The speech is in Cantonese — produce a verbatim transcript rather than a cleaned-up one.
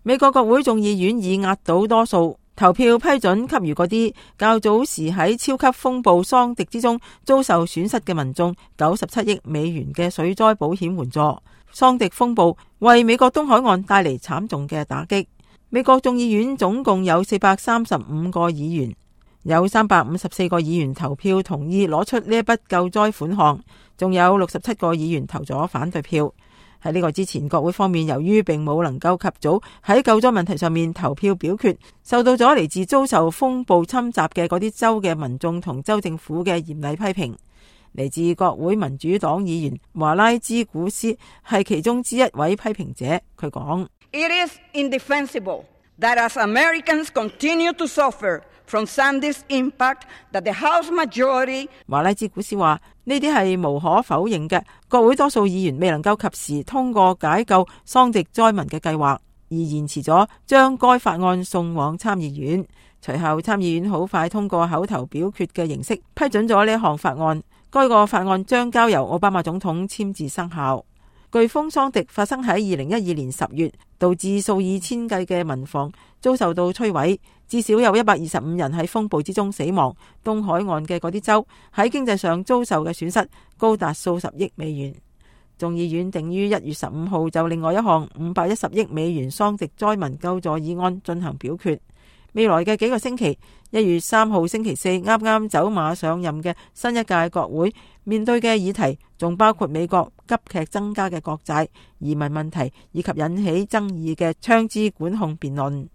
美國國會眾議院以壓倒多數投票批准給予嗰啲較早時喺超級風暴桑迪之中遭受損失嘅民眾九十七億美元嘅水災保險援助。桑迪風暴為美國東海岸帶嚟慘重嘅打擊。美國眾議院總共有四百三十五個議員，有三百五十四個議員投票同意攞出呢一筆救災款項，仲有六十七個議員投咗反對票。喺呢個之前，國會方面由於並冇能夠及早喺救災問題上面投票表決，受到咗嚟自遭受風暴侵襲嘅嗰啲州嘅民眾同州政府嘅嚴厲批評。嚟自國會民主黨議員華拉茲古斯係其中之一位批評者，佢講：It is indefensible that as Americans continue to suffer from Sandy's impact, that the House majority 華拉茲古斯話呢啲係無可否認嘅，國會多數議員未能夠及時通過解救桑迪災民嘅計劃，而延遲咗將該法案送往參議院。隨後參議院好快通過口頭表決嘅形式批准咗呢一項法案。該個法案將交由奧巴馬總統簽字生效。颶風桑迪發生喺二零一二年十月，導致數以千計嘅民房遭受到摧毀，至少有一百二十五人喺風暴之中死亡。東海岸嘅嗰啲州喺經濟上遭受嘅損失高達數十億美元。眾議院定於一月十五號就另外一項五百一十億美元桑迪災民救助議案進行表決。未來嘅幾個星期，一月三號星期四啱啱走馬上任嘅新一屆國會面對嘅議題，仲包括美國急劇增加嘅國債、移民問題以及引起爭議嘅槍支管控辯論。